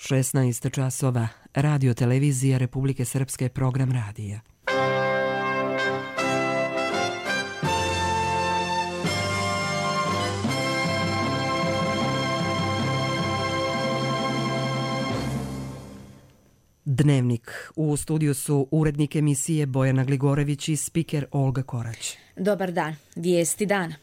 16 časova. Radio televizija Republike Srpske, program radija. Dnevnik. U studiju su urednik emisije Bojana Gligorević i spiker Olga Korać. Dobar dan. Vijesti dana.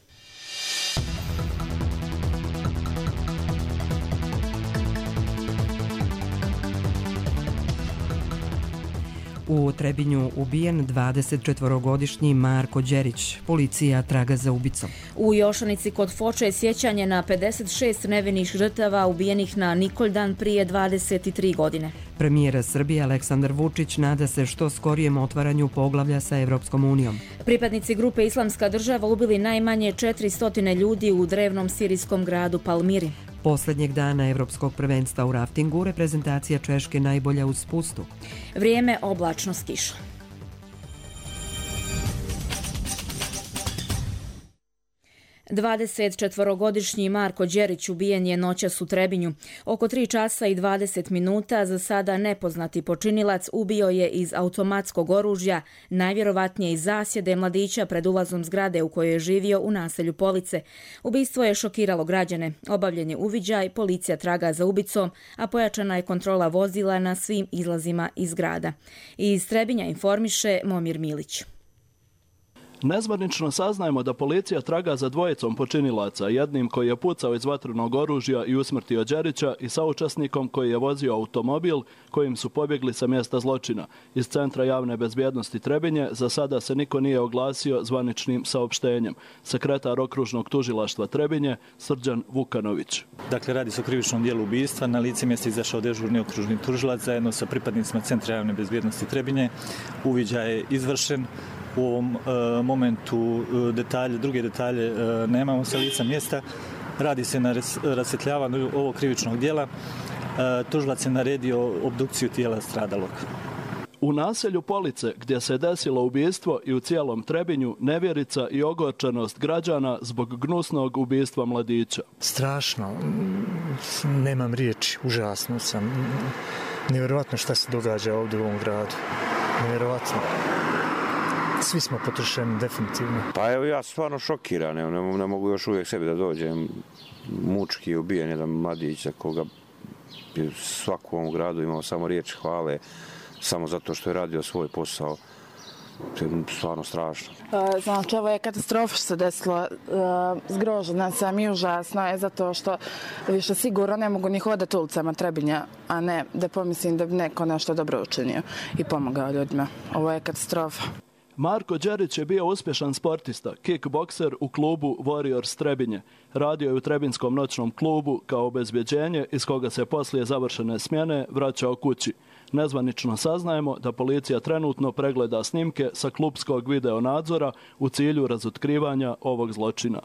U Trebinju ubijen 24-godišnji Marko Đerić. Policija traga za ubicom. U Jošanici kod Foče je sjećanje na 56 nevinih žrtava ubijenih na Nikoldan prije 23 godine. Premijer Srbije Aleksandar Vučić nada se što skorijem otvaranju poglavlja sa Evropskom unijom. Pripadnici grupe Islamska država ubili najmanje 400 ljudi u drevnom sirijskom gradu Palmiri. Posljednjeg dana Evropskog prvenstva u raftingu reprezentacija Češke najbolja uz spustu. Vrijeme oblačno s kišom. Dvadesetčetvorogodišnji Marko Đerić ubijen je noćas u Trebinju. Oko 3 časa i 20 minuta za sada nepoznati počinilac ubio je iz automatskog oružja, najvjerovatnije iz zasjede mladića pred ulazom zgrade u kojoj je živio u naselju Police. Ubistvo je šokiralo građane. Obavljen je uviđaj, policija traga za ubicom, a pojačana je kontrola vozila na svim izlazima iz grada. Iz Trebinja informiše Momir Milić. Nezvanično saznajemo da policija traga za dvojicom počinilaca, jednim koji je pucao iz vatrenog oružja i usmrtio Đerića i saučesnikom koji je vozio automobil kojim su pobjegli sa mjesta zločina. Iz Centra javne bezbjednosti Trebinje za sada se niko nije oglasio zvaničnim saopštenjem. Sekretar okružnog tužilaštva Trebinje Srđan Vukanović. Dakle, radi se o krivičnom dijelu ubistva. Na lice mjesta izašao dežurni okružni tužilac zajedno sa pripadnicima Centra javne bezbjednosti Trebinje. Uviđaj je izvršen. U ovom momentu druge detalje nemamo sa lica mjesta. Radi se na rasvjetljavanju ovog krivičnog dijela. Tužilac je naredio obdukciju tijela stradalog. U naselju Police, gdje se desilo ubistvo, i u cijelom Trebinju nevjerica i ogorčenost građana zbog gnusnog ubistva mladića. Strašno. Nemam riječi. Užasno sam. Nevjerovatno šta se događa ovdje u ovom gradu. Nevjerovatno. Svi smo potrošeni, definitivno. Pa evo, ja sam stvarno šokiran, ne mogu još uvijek sebi da dođem. Mučki je ubijen jedan mladić za koga je svako u ovom gradu imao samo riječ hvale, samo zato što je radio svoj posao. To je stvarno strašno. Znači, ovo je katastrofa što se desilo. Zgrožena sam i užasno je zato što više sigurno ne mogu ni hodati ulicama Trebinja, a ne da pomislim da bi neko nešto dobro učinio i pomogao ljudima. Ovo je katastrofa. Marko Đerić je bio uspješan sportista, kickbokser u klubu Warriors Trebinje. Radio je u Trebinskom noćnom klubu kao obezbjeđenje iz koga se poslije završene smjene vraćao kući. Nezvanično saznajemo da policija trenutno pregleda snimke sa klubskog videonadzora u cilju razotkrivanja ovog zločina.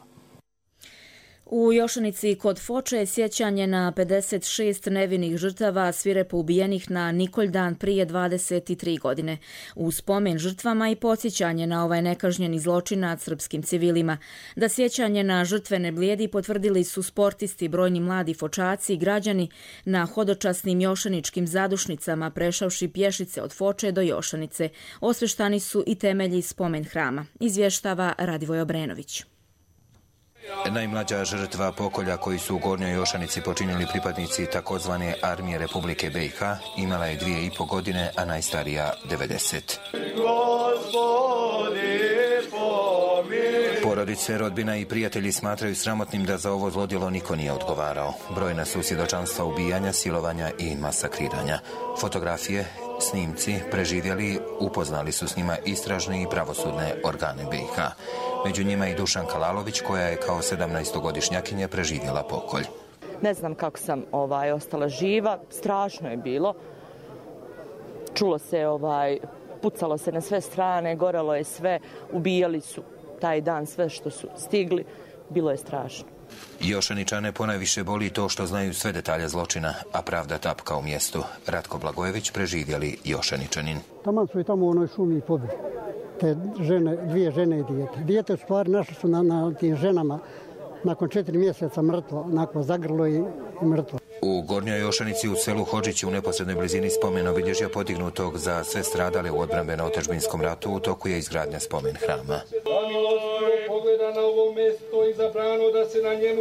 U Jošanici kod Foče je sjećanje na 56 nevinih žrtava svirepo ubijenih na Nikoldan prije 23 godine. U spomen žrtvama i podsjećanje na ovaj nekažnjeni zločin nad srpskim civilima. Da sjećanje na žrtve ne blijedi potvrdili su sportisti, brojni mladi Fočaci i građani na hodočasnim jošaničkim zadušnicama prešavši pješice od Foče do Jošanice. Osveštani su i temelji spomen hrama. Izvještava Radivoj Obrenović. Najmlađa žrtva pokolja koji su u Gornjoj Jošanici počinili pripadnici takozvane armije Republike BiH imala je 2,5 godine, a najstarija 90. Porodice, rodbina i prijatelji smatraju sramotnim da za ovo zlodjelo niko nije odgovarao. Brojna su svjedočanstva ubijanja, silovanja i masakriranja. Fotografije, snimci, preživjeli, upoznali su s njima istražne i pravosudne organe BiH. Među njima i Dušanka Lalović, koja je kao 17-godišnjakinja preživjela pokolj. Ne znam kako sam ostala živa, strašno je bilo. Čulo se, pucalo se na sve strane, gorelo je sve, ubijali su taj dan sve što su stigli, bilo je strašno. Jošaničane ponajviše boli to što znaju sve detalje zločina, a pravda tapka u mjestu. Ratko Blagojević, preživjeli Jošaničanin. Taman su i tamo u onoj šumi pobili. Te žene, 2 žene i dijete. Dijete u stvari našli su na tim ženama nakon 4 mjeseca mrtvo, onako zagrlo i mrtvo. U Gornjoj Jošanici u selu Hodžići u neposrednoj blizini spomen obilježja podignutog za sve stradale u odbrambeno-otadžbinskom ratu u toku je izgradnja spomen hrama.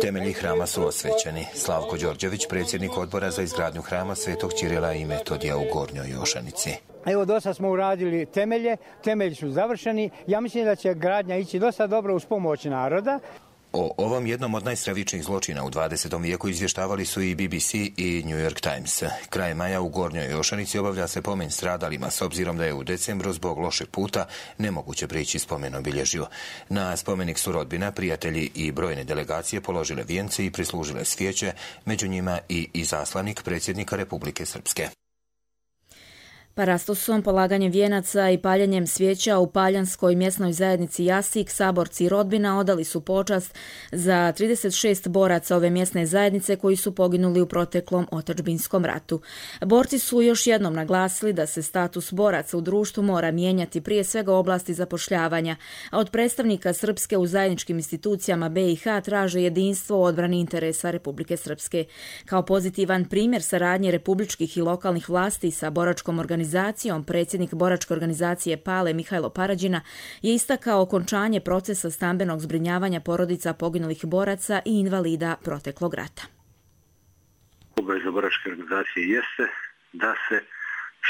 Temelji hrama su osvećeni. Slavko Đorđević, predsjednik odbora za izgradnju hrama Svetog Ćirila i Metodija u Gornjoj Jošanici. Evo, dosta smo uradili temelji su završeni. Ja mislim da će gradnja ići dosta dobro uz pomoć naroda. O ovom jednom od najstravičnijih zločina u 20. vijeku izvještavali su i BBC i New York Times. Kraj maja u Gornjoj Jošanici obavlja se pomen stradalima s obzirom da je u decembru zbog lošeg puta nemoguće prići spomen obilježju. Na spomenik su rodbina, prijatelji i brojne delegacije položile vijence i prislužile svijeće, među njima i izaslanik predsjednika Republike Srpske. Parastosom, polaganjem vijenaca i paljenjem svijeća u paljanskoj mjesnoj zajednici Jasik, saborci i rodbina odali su počast za 36 boraca ove mjesne zajednice koji su poginuli u proteklom otadžbinskom ratu. Borci su još jednom naglasili da se status boraca u društvu mora mijenjati prije svega u oblasti zapošljavanja, a od predstavnika Srpske u zajedničkim institucijama BiH traže jedinstvo u odbrani interesa Republike Srpske. Kao pozitivan primjer saradnje republičkih i lokalnih vlasti sa boračkom organizacijom, predsjednik boračke organizacije PALE Mihajlo Parađina je istakao okončanje procesa stambenog zbrinjavanja porodica poginulih boraca i invalida proteklog rata. Obaveza boračke organizacije jeste da se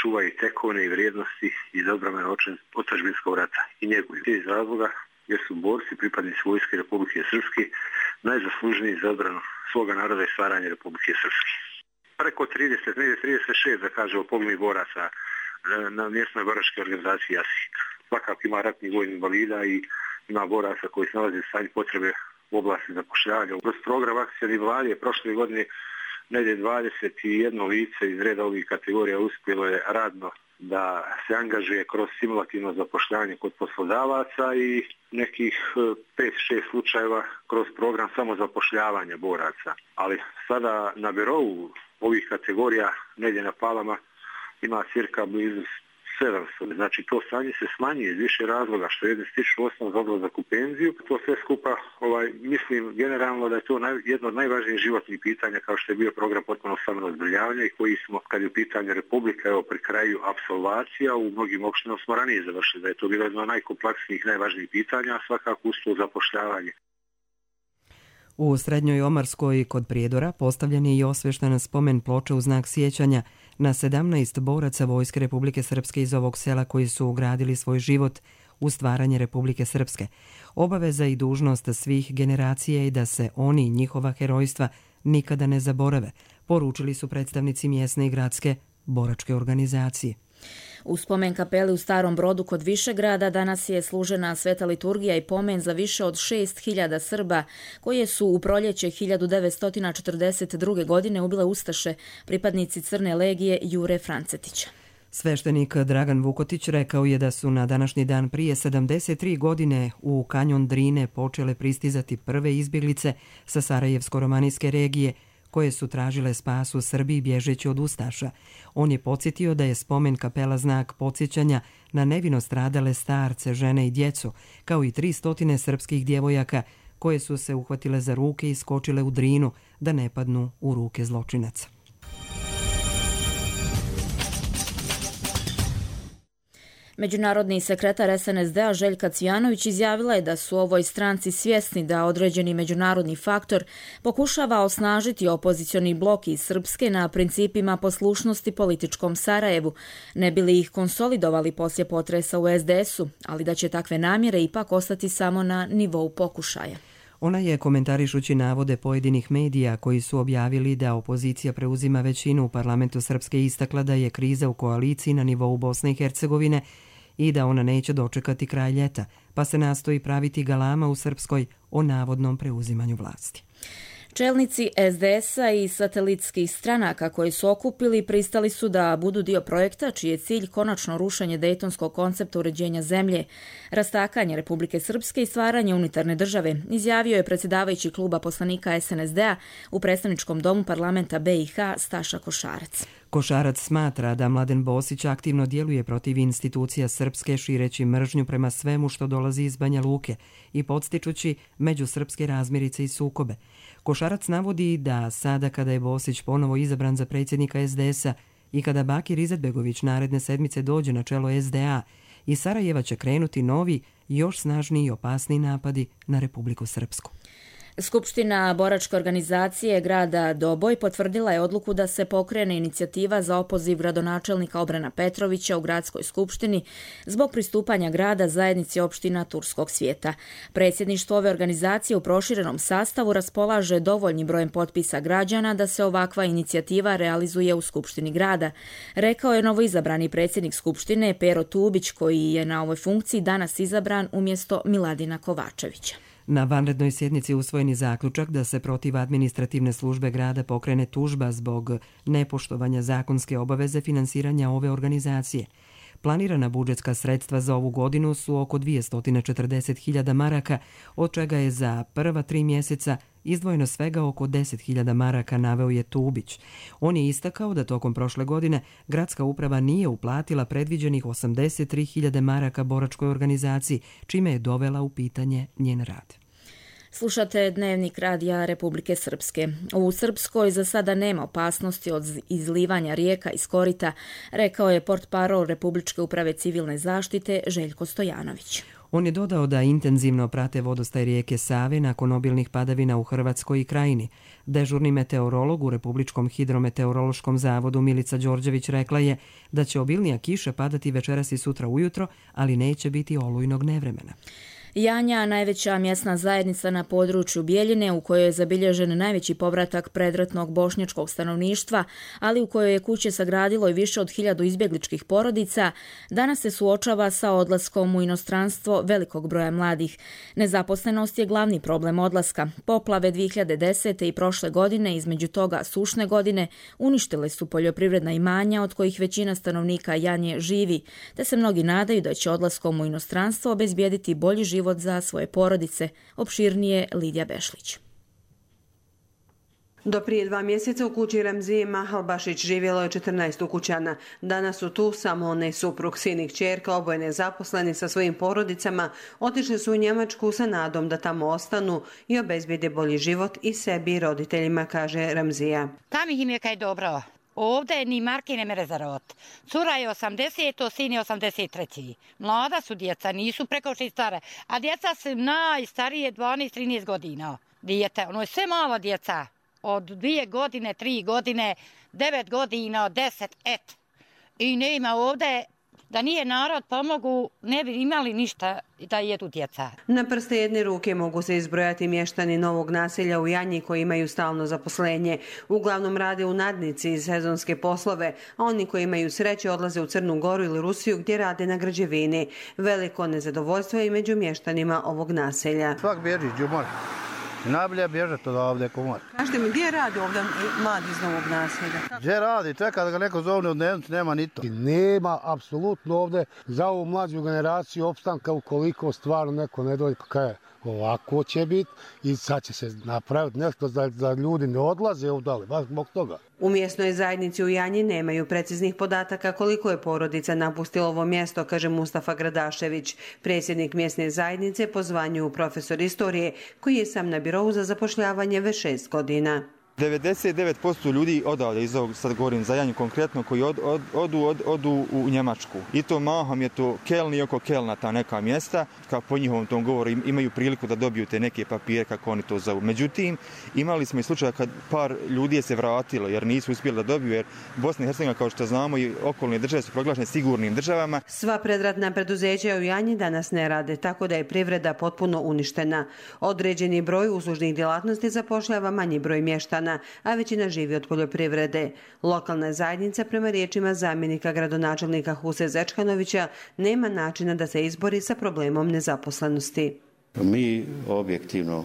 čuvaju tekovine i vrijednosti iz odbrambeno-otadžbinskog rata i njeguju. Iz razloga jer su borci, pripadnici vojske Republike Srpske, najzaslužniji za odbranu svoga naroda i stvaranje Republike Srpske. Preko 36 da kažemo poginulih boraca na mjesnoj boračkoj organizaciji Jasik. Svakako ima ratnih vojnih invalida i ima boraca koji se nalaze u stanju potrebe u oblasti zapošljavanja. Kroz program akcijne vlade prošle godine negdje 21 lice iz reda ovih kategorija uspjelo je radno da se angažuje kroz simulativno zapošljavanje kod poslodavaca i nekih 5-6 slučajeva kroz program samozapošljavanja boraca. Ali sada na birou ovih kategorija negdje na Palama ima cirka blizu 700. Znači to stanje se smanjuje iz više razloga, što jedni stiču osnov za odlazak u penziju. To sve skupa, mislim generalno da je to jedno od najvažnijih životnih pitanja kao što je bio program potpuno stambenog zbrinjavanja i koji smo, kad je u pitanju Republika, pri kraju apsolvacija, u mnogim opštinama smo ranije završili, da je to bilo jedno od najkompleksnijih, najvažnijih pitanja, a svakako uz to zapošljavanje. U Srednjoj Omarskoj kod Prijedora postavljen je i osvešten spomen ploča u znak sjećanja na 17 boraca Vojske Republike Srpske iz ovog sela koji su ugradili svoj život u stvaranje Republike Srpske. Obaveza i dužnost svih generacija je da se oni i njihova herojstva nikada ne zaborave, poručili su predstavnici mjesne i gradske boračke organizacije. U spomen kapeli u Starom Brodu kod Višegrada danas je služena sveta liturgija i pomen za više od 6.000 Srba koje su u proljeće 1942. godine ubile ustaše, pripadnici Crne legije Jure Francetića. Sveštenik Dragan Vukotić rekao je da su na današnji dan prije 73 godine u kanjon Drine počele pristizati prve izbjeglice sa Sarajevsko-romanijske regije koje su tražile spas u Srbiji bježeći od ustaša. On je podsjetio da je spomen kapela znak podsjećanja na nevino stradale starce, žene i djecu, kao i 300 srpskih djevojaka koje su se uhvatile za ruke i skočile u Drinu da ne padnu u ruke zločinaca. Međunarodni sekretar SNSD-a Željka Cvijanović izjavila je da su ovoj stranci svjesni da određeni međunarodni faktor pokušava osnažiti opozicioni blok iz Srpske na principima poslušnosti političkom Sarajevu, ne bi li ih konsolidovali poslije potresa u SDS-u, ali da će takve namjere ipak ostati samo na nivou pokušaja. Ona je, komentarišući navode pojedinih medija koji su objavili da opozicija preuzima većinu u parlamentu Srpske, istakla da je kriza u koaliciji na nivou Bosne i Hercegovine i da ona neće dočekati kraj ljeta, pa se nastoji praviti galama u Srpskoj o navodnom preuzimanju vlasti. Čelnici SDS-a i satelitskih stranaka koji su okupili pristali su da budu dio projekta čiji je cilj konačno rušenje dejtonskog koncepta uređenja zemlje, rastakanje Republike Srpske i stvaranje unitarne države, izjavio je predsjedavajući kluba poslanika SNSD-a u predstavničkom domu parlamenta BiH Staša Košarac. Košarac smatra da Mladen Bosić aktivno djeluje protiv institucija srpske šireći mržnju prema svemu što dolazi iz Banja Luke i podstičući međusrpske razmirice i sukobe. Košarac navodi da sada kada je Bosić ponovo izabran za predsjednika SDS-a i kada Bakir Izetbegović naredne sedmice dođe na čelo SDA, iz Sarajeva će krenuti novi, još snažniji i opasniji napadi na Republiku Srpsku. Skupština boračke organizacije grada Doboj potvrdila je odluku da se pokrene inicijativa za opoziv gradonačelnika Obrana Petrovića u gradskoj skupštini zbog pristupanja grada zajednici opština Turskog svijeta. Predsjedništvo ove organizacije u proširenom sastavu raspolaže dovoljnim brojem potpisa građana da se ovakva inicijativa realizuje u skupštini grada, rekao je novoizabrani predsjednik skupštine Pero Tubić, koji je na ovoj funkciji danas izabran umjesto Miladina Kovačevića. Na vanrednoj sjednici usvojen je zaključak da se protiv administrativne službe grada pokrene tužba zbog nepoštovanja zakonske obaveze finansiranja ove organizacije. Planirana budžetska sredstva za ovu godinu su oko 240.000 maraka, od čega je za prva 3 mjeseca izdvojeno svega oko 10.000 maraka, naveo je Tubić. On je istakao da tokom prošle godine gradska uprava nije uplatila predviđenih 83.000 maraka boračkoj organizaciji, čime je dovela u pitanje njen rad. Slušate Dnevnik radija Republike Srpske. U Srpskoj za sada nema opasnosti od izlivanja rijeka iz korita, rekao je portparol Republičke uprave civilne zaštite Željko Stojanović. On je dodao da intenzivno prate vodostaj rijeke Save nakon obilnih padavina u Hrvatskoj i Krajini. Dežurni meteorolog u Republičkom hidrometeorološkom zavodu Milica Đorđević rekla je da će obilnija kiša padati večeras i sutra ujutro, ali neće biti olujnog nevremena. Janja, najveća mjesna zajednica na području Bijeljine, u kojoj je zabilježen najveći povratak predratnog bošnjačkog stanovništva, ali u kojoj je kuće sagradilo i više od 1000 izbjegličkih porodica, danas se suočava sa odlaskom u inostranstvo velikog broja mladih. Nezaposlenost je glavni problem odlaska. Poplave 2010. i prošle godine, između toga sušne godine, uništile su poljoprivredna imanja od kojih većina stanovnika Janje živi, te se mnogi nadaju da će odlaskom u inostranstvo obezbijediti bolji život za svoje porodice. Opširnije Lidija Bešlić. Do prije 2 mjeseca u kući Ramzije Mahalbašić živjelo je 14 ukućana. Danas su tu samo one suprug, sin i kćerka, oboje nezaposleni sa svojim porodicama, otišli su u Njemačku sa nadom da tamo ostanu i obezbijede bolji život i sebi i roditeljima, kaže Ramzija. Tam ih im je kaj dobro. Ovdje ni marke ne mere za rod. Cura je 80, sin je 83. Mlada su djeca, nisu preko 6 stare. A djeca su najstarije 12-13 godina. Dijete, ono je sve mala djeca. Od 2 godine, 3 godine, 9 godina, 10, et. I nema ovdje, da nije narod pomogu, ne bi imali ništa da jedu djeca. Na prste jedne ruke mogu se izbrojati mještani novog naselja u Janji koji imaju stalno zaposlenje. Uglavnom rade u nadnici iz sezonske poslove, a oni koji imaju sreće odlaze u Crnu Goru ili Rusiju gdje rade na građevini. Veliko nezadovoljstvo je i među mještanima ovog naselja. Svak bježi, džumor. Najbolje bježati od ovdje komor. Kažete mi, gdje radi ovdje mladi iz novog naselja? Gdje radi? Čeka da ga neko zovne u dnevnicu, nema ni to. Nema apsolutno ovdje za ovu mlađu generaciju opstanka ukoliko stvarno neko ne dođe, kaj ovako će biti i sad će se napraviti nešto da ljudi ne odlaze ovdje, baš zbog toga. U mjesnoj zajednici u Janji nemaju preciznih podataka koliko je porodica napustilo ovo mjesto, kaže Mustafa Gradašević, predsjednik mjesne zajednice po zvanju profesor istorije, koji je sam na birovu za zapošljavanje već 6 godina. 99% ljudi odavde, iz ovog, sad govorim za Janju konkretno, koji odu u Njemačku. I to mahom je to Keln i oko Kelna, ta neka mjesta, kako po njihovom tom govoru imaju priliku da dobiju te neke papire, kako oni to zovu. Međutim, imali smo i slučaja kad par ljudi je se vratilo, jer nisu uspjeli da dobiju, jer Bosna i Hercegovina, kao što znamo, i okolne države su proglašene sigurnim državama. Sva predratna preduzeća u Janji danas ne rade, tako da je privreda potpuno uništena. Određeni broj uslužnih djelatnosti zapošljava manji broj mještana, a većina živi od poljoprivrede. Lokalna zajednica, prema riječima zamjenika gradonačelnika Huse Zečkanovića, nema načina da se izbori sa problemom nezaposlenosti. Mi objektivno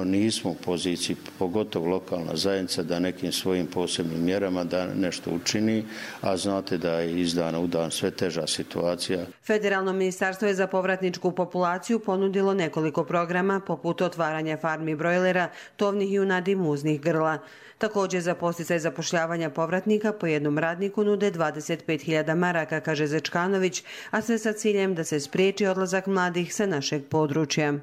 nismo u poziciji, pogotovo lokalna zajednica, da nekim svojim posebnim mjerama da nešto učini, a znate da je iz dana u dan sve teža situacija. Federalno ministarstvo je za povratničku populaciju ponudilo nekoliko programa poput otvaranja farmi brojlera, tovnih junadi i muznih grla. Također za podsticaj zapošljavanja povratnika po jednom radniku nude 25.000 maraka, kaže Zečkanović, a sve sa ciljem da se spriječi odlazak mladih sa našeg područja.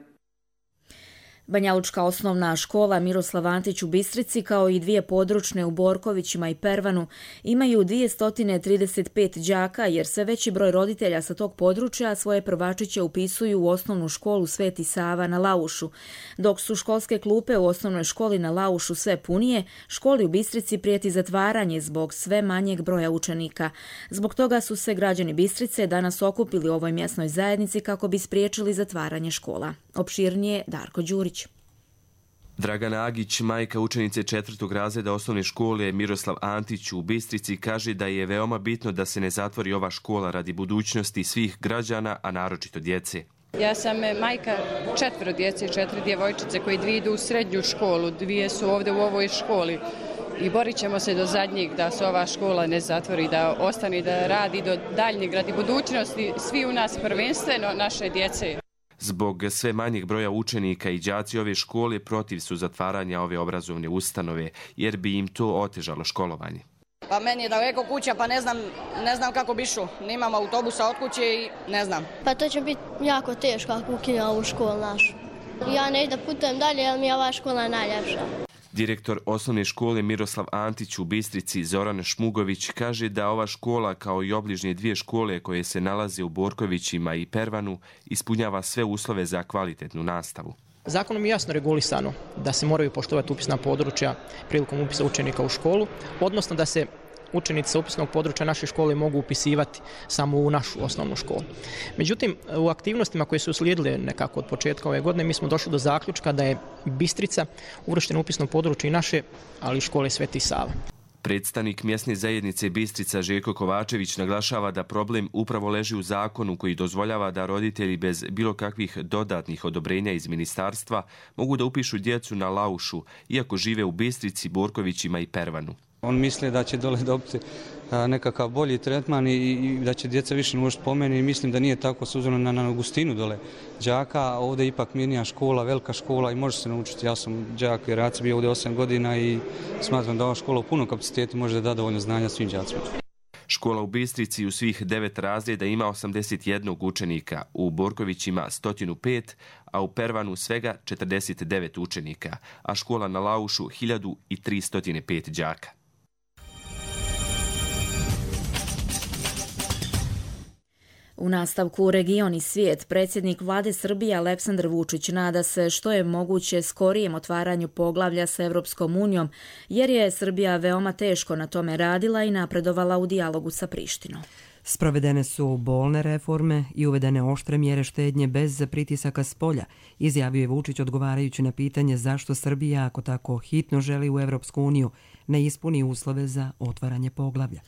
Banjalučka osnovna škola Miroslav Antić u Bistrici kao i 2 područne u Borkovićima i Pervanu imaju 235 đaka jer sve veći broj roditelja sa tog područja svoje prvačiće upisuju u osnovnu školu Sveti Sava na Laušu. Dok su školske klupe u osnovnoj školi na Laušu sve punije, školi u Bistrici prijeti zatvaranje zbog sve manjeg broja učenika. Zbog toga su se građani Bistrice danas okupili u ovoj mjesnoj zajednici kako bi spriječili zatvaranje škola. Opširnije Darko Đurić. Dragana Agić, majka učenice 4. razreda osnovne škole Miroslav Antić u Bistrici, kaže da je veoma bitno da se ne zatvori ova škola radi budućnosti svih građana, a naročito djece. Ja sam majka 4 djece, 4 djevojčice koji 2 idu u srednju školu, 2 su ovdje u ovoj školi i borit ćemo se do zadnjeg da se ova škola ne zatvori, da ostane da radi do daljnjeg radi budućnosti svi u nas, prvenstveno naše djece. Zbog sve manjeg broja učenika i đaci ove škole protiv su zatvaranja ove obrazovne ustanove, jer bi im to otežalo školovanje. Pa meni je daleko kuća, pa ne znam kako bi išao. Nemam autobusa od kuće i ne znam. Pa to će biti jako teško ako ukinu ovu školu našu. Ja ne da putujem dalje, jer mi je ova škola najljepša. Direktor osnovne škole Miroslav Antić u Bistrici Zoran Šmugović kaže da ova škola kao i obližnje 2 škole koje se nalaze u Borkovićima i Pervanu ispunjava sve uslove za kvalitetnu nastavu. Zakonom je jasno regulisano da se moraju poštovati upisna područja prilikom upisa učenika u školu, odnosno da se učenici sa upisnog područja naše škole mogu upisivati samo u našu osnovnu školu. Međutim, u aktivnostima koje su uslijedile nekako od početka ove godine, mi smo došli do zaključka da je Bistrica uvrštena u upisno područje i naše, ali i škole Sveti Sava. Predstavnik mjesne zajednice Bistrica Željko Kovačević naglašava da problem upravo leži u zakonu koji dozvoljava da roditelji bez bilo kakvih dodatnih odobrenja iz ministarstva mogu da upišu djecu na Laušu, iako žive u Bistrici, Borkovićima i Pervanu. On misle da će dole dobiti nekakav bolji tretman i da će djeca više naučiti po meni. Mislim da nije tako s obzirom na gustinu dole đaka. Ovdje je ipak mirnija škola, velika škola i može se naučiti. Ja sam đak i rac bio ovdje 8 godina i smatram da ova škola u punom kapacitetu može da dovoljno znanja svim đacima. Škola u Bistrici u svih 9 razreda ima 81 učenika, u Borkovićima 105, a u Pervanu svega 49 učenika, a škola na Laušu 1305 đaka. U nastavku Region i svijet, predsjednik vlade Srbije Aleksandar Vučić nada se što je moguće skorijem otvaranju poglavlja sa Evropskom unijom, jer je Srbija veoma teško na tome radila i napredovala u dijalogu sa Prištinom. Sprovedene su bolne reforme i uvedene oštre mjere štednje bez pritisaka s polja, izjavio je Vučić odgovarajući na pitanje zašto Srbija, ako tako hitno želi u Evropsku uniju, ne ispuni uslove za otvaranje poglavlja.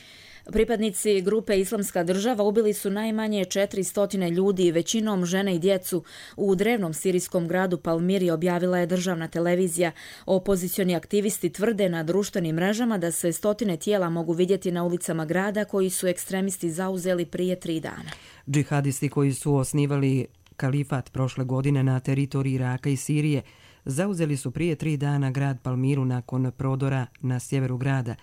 Pripadnici grupe Islamska država ubili su najmanje 400 ljudi, većinom žene i djecu, u drevnom sirijskom gradu Palmiri, objavila je državna televizija. Opozicioni aktivisti tvrde na društvenim mrežama da se stotine tijela mogu vidjeti na ulicama grada koji su ekstremisti zauzeli prije 3 dana. Džihadisti koji su osnivali kalifat prošle godine na teritoriji Iraka i Sirije zauzeli su prije 3 dana grad Palmiru nakon prodora na sjeveru grada.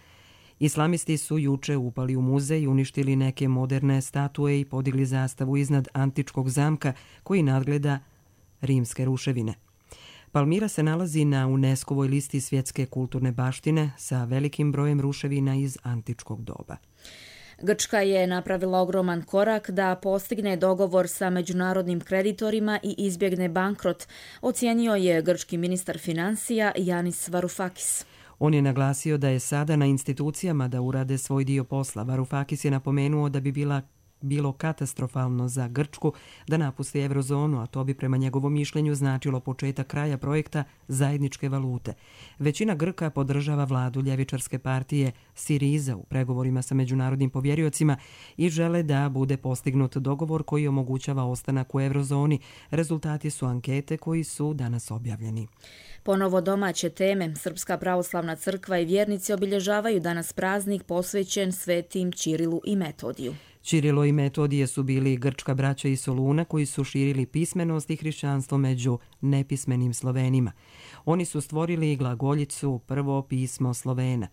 Islamisti su juče upali u muzej i uništili neke moderne statue i podigli zastavu iznad antičkog zamka koji nadgleda rimske ruševine. Palmira se nalazi na UNESCO-voj listi svjetske kulturne baštine sa velikim brojem ruševina iz antičkog doba. Grčka je napravila ogroman korak da postigne dogovor sa međunarodnim kreditorima i izbjegne bankrot, ocijenio je grčki ministar financija Yanis Varoufakis. On je naglasio da je sada na institucijama da urade svoj dio posla. Varoufakis je napomenuo da bi bila bilo katastrofalno za Grčku da napusti eurozonu, a to bi prema njegovom mišljenju značilo početak kraja projekta zajedničke valute. Većina Grka podržava vladu ljevičarske partije Siriza u pregovorima sa međunarodnim povjeriocima i žele da bude postignut dogovor koji omogućava ostanak u eurozoni. Rezultati su ankete koji su danas objavljeni. Ponovo domaće teme. Srpska pravoslavna crkva i vjernici obilježavaju danas praznik posvećen svetim Ćirilu i Metodiju. Ćirilo i Metodije su bili grčka braća iz Soluna koji su širili pismenost i hrišćanstvo među nepismenim Slovenima. Oni su stvorili glagoljicu, prvo pismo Slovena.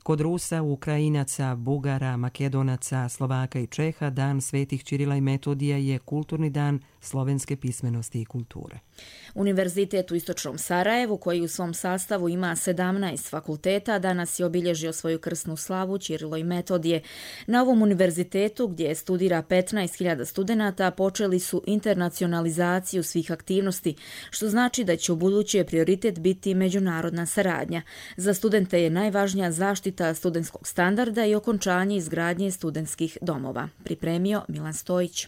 Kod Rusa, Ukrajinaca, Bugara, Makedonaca, Slovaka i Čeha dan svetih Ćirila i Metodija je kulturni dan slovenske pismenosti i kulture. Univerzitet u Istočnom Sarajevu, koji u svom sastavu ima 17 fakulteta, danas je obilježio svoju krsnu slavu Ćirilo i Metodije. Na ovom univerzitetu, gdje studira 15.000 studenata, počeli su internacionalizaciju svih aktivnosti, što znači da će u buduće prioritet biti međunarodna saradnja. Za studente je najvažnija zaštita studentskog standarda i okončanje izgradnje studentskih domova. Pripremio Milan Stojić.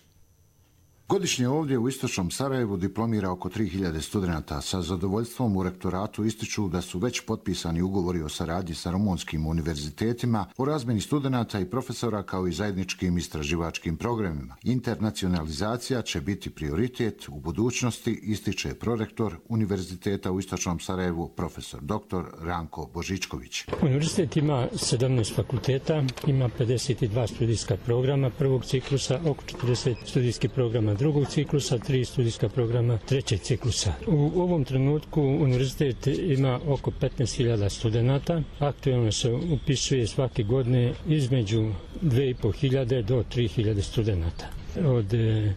Godišnje ovdje u Istočnom Sarajevu diplomira oko 3000 studenata. Sa zadovoljstvom u rektoratu ističu da su već potpisani ugovori o saradnji sa rumunskim univerzitetima, o razmjeni studenata i profesora kao i zajedničkim istraživačkim programima. Internacionalizacija će biti prioritet u budućnosti, ističe prorektor Univerziteta u Istočnom Sarajevu, profesor dr. Ranko Božičković. Univerzitet ima 17 fakulteta, ima 52 studijska programa prvog ciklusa, oko 40 studijskih programa drugog ciklusa, 3 studijska programa trećeg ciklusa. U ovom trenutku univerzitet ima oko 15.000 studenata. Aktualno se upisuje svake godine između 2.500 do 3.000 studenata. Od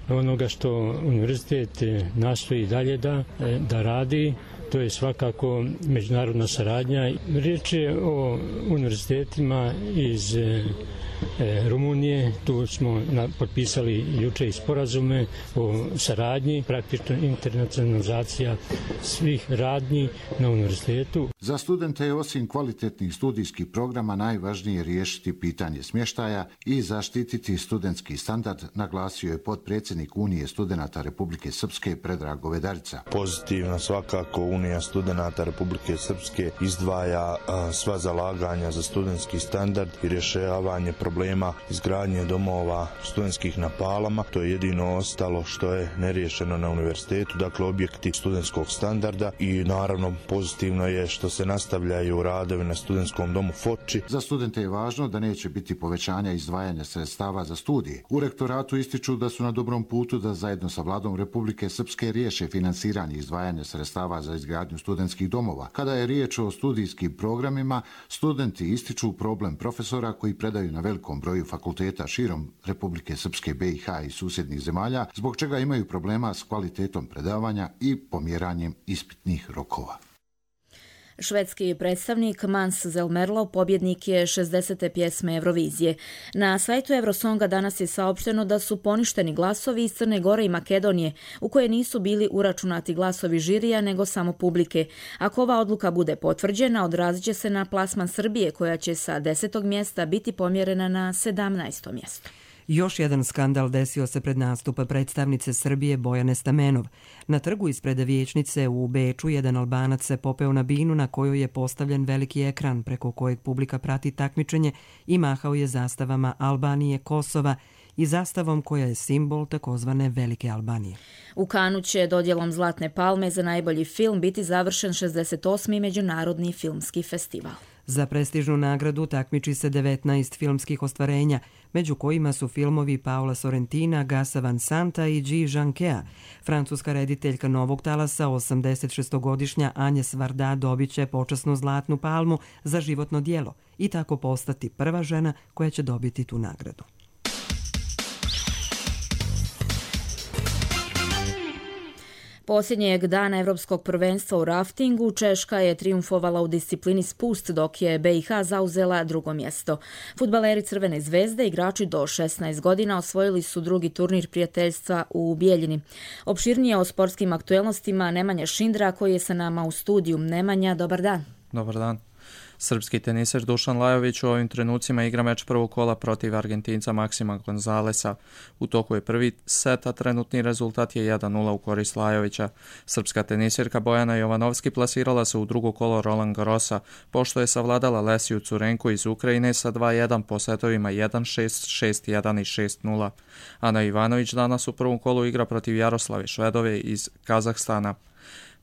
onoga što univerzitet nastoji dalje da radi, to je svakako međunarodna saradnja. Riječ je o univerzitetima iz Rumunije, tu smo potpisali juče i sporazume o saradnji, praktično internacionalizacija svih radnji na univerzitetu. Za studente je osim kvalitetnih studijskih programa najvažnije riješiti pitanje smještaja i zaštititi studentski standard, naglasio je potpredsjednik Unije studenata Republike Srpske Predrag Govedarica. Pozitivno svakako Unija studenata Republike Srpske izdvaja sva zalaganja za studentski standard i rješavanje problema izgradnje domova studentskih na Palama. To je jedino ostalo što je neriješeno na univerzitetu, dakle objekti studentskog standarda, i naravno pozitivno je što se nastavljaju radovi na studentskom domu Foči. Za studente je važno da neće biti povećanja izdvajanja sredstava za studije. U rektoratu ističu da su na dobrom putu da zajedno sa vladom Republike Srpske riješe finansiranje izdvajanja sredstava za izgradnju studentskih domova. Kada je riječ o studijskim programima, studenti ističu problem profesora koji predaju na velikom broju fakulteta širom Republike Srpske, BiH i susjednih zemalja, zbog čega imaju problema s kvalitetom predavanja i pomjeranjem ispitnih rokova. Švedski predstavnik Mans Zelmerlov pobjednik je 60. pjesme Eurovizije. Na sajtu Eurosonga danas je saopšteno da su poništeni glasovi iz Crne Gore i Makedonije, u koje nisu bili uračunati glasovi žirija nego samo publike. Ako ova odluka bude potvrđena, odrazit će se na plasman Srbije, koja će sa 10. mjesta biti pomjerena na 17. mjesto. Još jedan skandal desio se pred nastup predstavnice Srbije Bojane Stamenov. Na trgu ispred vijećnice u Beču jedan Albanac se popeo na binu na kojoj je postavljen veliki ekran preko kojeg publika prati takmičenje i mahao je zastavama Albanije, Kosova i zastavom koja je simbol takozvane Velike Albanije. U Kanu će dodjelom Zlatne palme za najbolji film biti završen 68. Međunarodni filmski festival. Za prestižnu nagradu takmiči se 19 filmskih ostvarenja, među kojima su filmovi Paola Sorrentina, Gasa Van Santa i Guy Jankea. Francuska rediteljka Novog talasa, 86-godišnja Agnes Varda, dobit će počasnu Zlatnu palmu za životno djelo i tako postati prva žena koja će dobiti tu nagradu. Posljednjeg dana Evropskog prvenstva u raftingu Češka je trijumfovala u disciplini spust, dok je BiH zauzela drugo mjesto. Fudbaleri Crvene zvezde, igrači do 16 godina, osvojili su drugi turnir prijateljstva u Bijeljini. Opširnije o sportskim aktuelnostima Nemanja Šindra, koji je sa nama u studiju. Nemanja, dobar dan. Dobar dan. Srpski teniser Dušan Lajović u ovim trenucima igra meč prvog kola protiv Argentinca Maksima Gonzalesa. U toku je prvi set, a trenutni rezultat je 1:0 u korist Lajovića. Srpska tenisirka Bojana Jovanovski plasirala se u drugo kolo Roland Garrosa, pošto je savladala Lesiju Curenku iz Ukrajine sa 2:1 po setovima 1:6, 6:1 i 6:0. Ana Ivanović danas u prvom kolu igra protiv Jaroslave Švedove iz Kazahstana.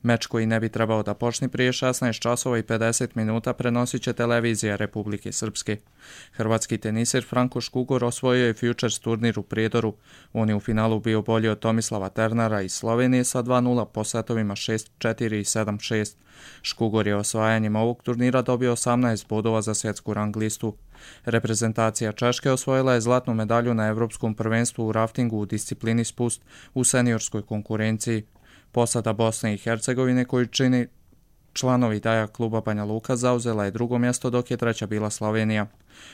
Meč koji ne bi trebao da počne prije 16 časova i 50 minuta prenosit će televizija Republike Srpske. Hrvatski tenisir Franko Škugor osvojio je Futures turnir u Prijedoru. On je u finalu bio bolji od Tomislava Ternara iz Slovenije sa 2:0 po setovima 6:4 i 7:6. Škugor je osvajanjem ovog turnira dobio 18 bodova za svjetsku rang listu. Reprezentacija Češke osvojila je zlatnu medalju na Evropskom prvenstvu u raftingu u disciplini spust u seniorskoj konkurenciji. Posada Bosne i Hercegovine, koju čini članovi Daja kluba Banja Luka, zauzela je drugo mjesto, dok je treća bila Slovenija.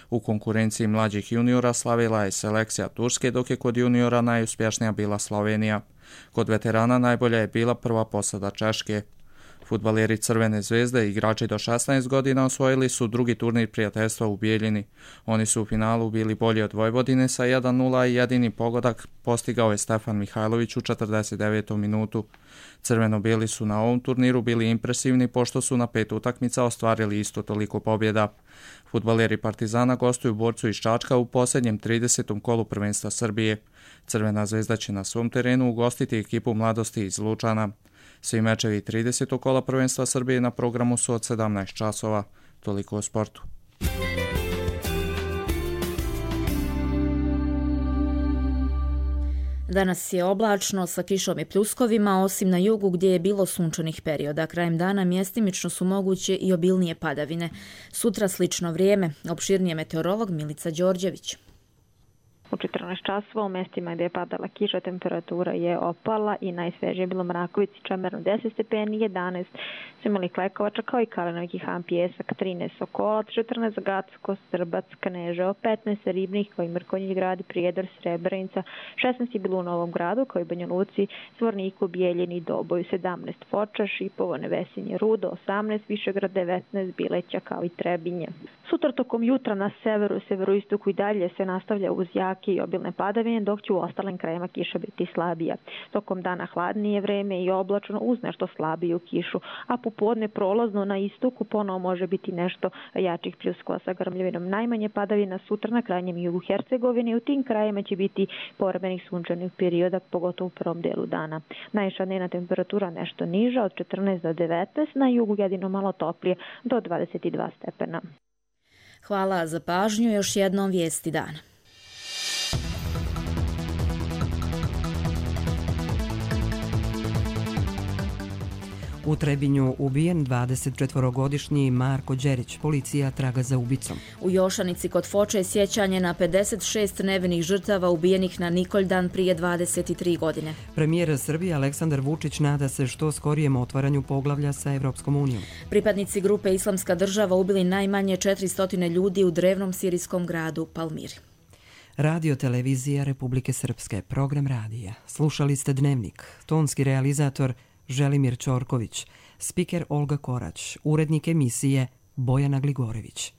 U konkurenciji mlađih juniora slavila je selekcija Turske, dok je kod juniora najuspješnija bila Slovenija. Kod veterana najbolja je bila prva posada Češke. Fudbaleri Crvene zvezde i igrači do 16 godina osvojili su drugi turnir prijateljstva u Bijeljini. Oni su u finalu bili bolji od Vojvodine sa 1:0 i jedini pogodak postigao je Stefan Mihajlović u 49. minutu. Crveno-bijeli su na ovom turniru bili impresivni pošto su na 5 utakmica ostvarili isto toliko pobjeda. Fudbaleri Partizana gostuju Borcu iz Čačka u posljednjem 30. kolu prvenstva Srbije. Crvena zvezda će na svom terenu ugostiti ekipu Mladosti iz Lučana. Svi mečevi 30. kola prvenstva Srbije na programu su od 17 časova. Toliko o sportu. Danas je oblačno sa kišom i pljuskovima, osim na jugu gdje je bilo sunčanih perioda. Krajem dana mjestimično su moguće i obilnije padavine. Sutra slično vrijeme. Opširnije meteorolog Milica Đorđević. U 14 časova u mjestima gdje je padala kiša temperatura je opala i najsvežije je bilo Mrakovici, Čemerno 10 stepeni, 11 su imali Klekovača kao i Kalenovki Han, Pjesak, 13 Sokolac, 14 Gacko, Strbac, Kneževo, 15 Ribnih kao i Mrkonjić gradi, Prijedor, Srebrenica, 16 je bilo u Novom Gradu kao i Banja Luci, Zvorniku, Bijeljini, Doboju, 17 Foča, Šipovo, Nevesinje, Rudo, 18 Višegrad, 19 Bileća kao i Trebinje. Sutra tokom jutra na severu, severoistoku i dalje se nastavlja uz jake i obilne padavine, dok će u ostalim krajima kiša biti slabija. Tokom dana hladnije vreme i oblačno uz nešto slabiju kišu, a popodne prolazno na istoku ponovo može biti nešto jačih pljuskova sa grmljavinom. Najmanje padavina sutra na krajnjem jugu Hercegovine i u tim krajima će biti povremenih sunčanih perioda, pogotovo u prvom delu dana. Najviša dnevna temperatura nešto niža od 14 do 19, na jugu jedino malo toplije do 22 stepena. Hvala za pažnju, još jednom vijesti dana. U Trebinju ubijen 24-godišnji Marko Đerić. Policija traga za ubicom. U Jošanici kod Foče je sjećanje na 56 nevinih žrtava ubijenih na Nikoljdan prije 23 godine. Premijer Srbije Aleksandar Vučić nada se što skorijem otvaranju poglavlja sa Evropskom unijom. Pripadnici grupe Islamska država ubili najmanje 400 ljudi u drevnom sirijskom gradu Palmiri. Radio televizija Republike Srpske, program radija. Slušali ste Dnevnik, tonski realizator Želimir Ćorković, spiker Olga Korać, urednik emisije Bojana Gligorević.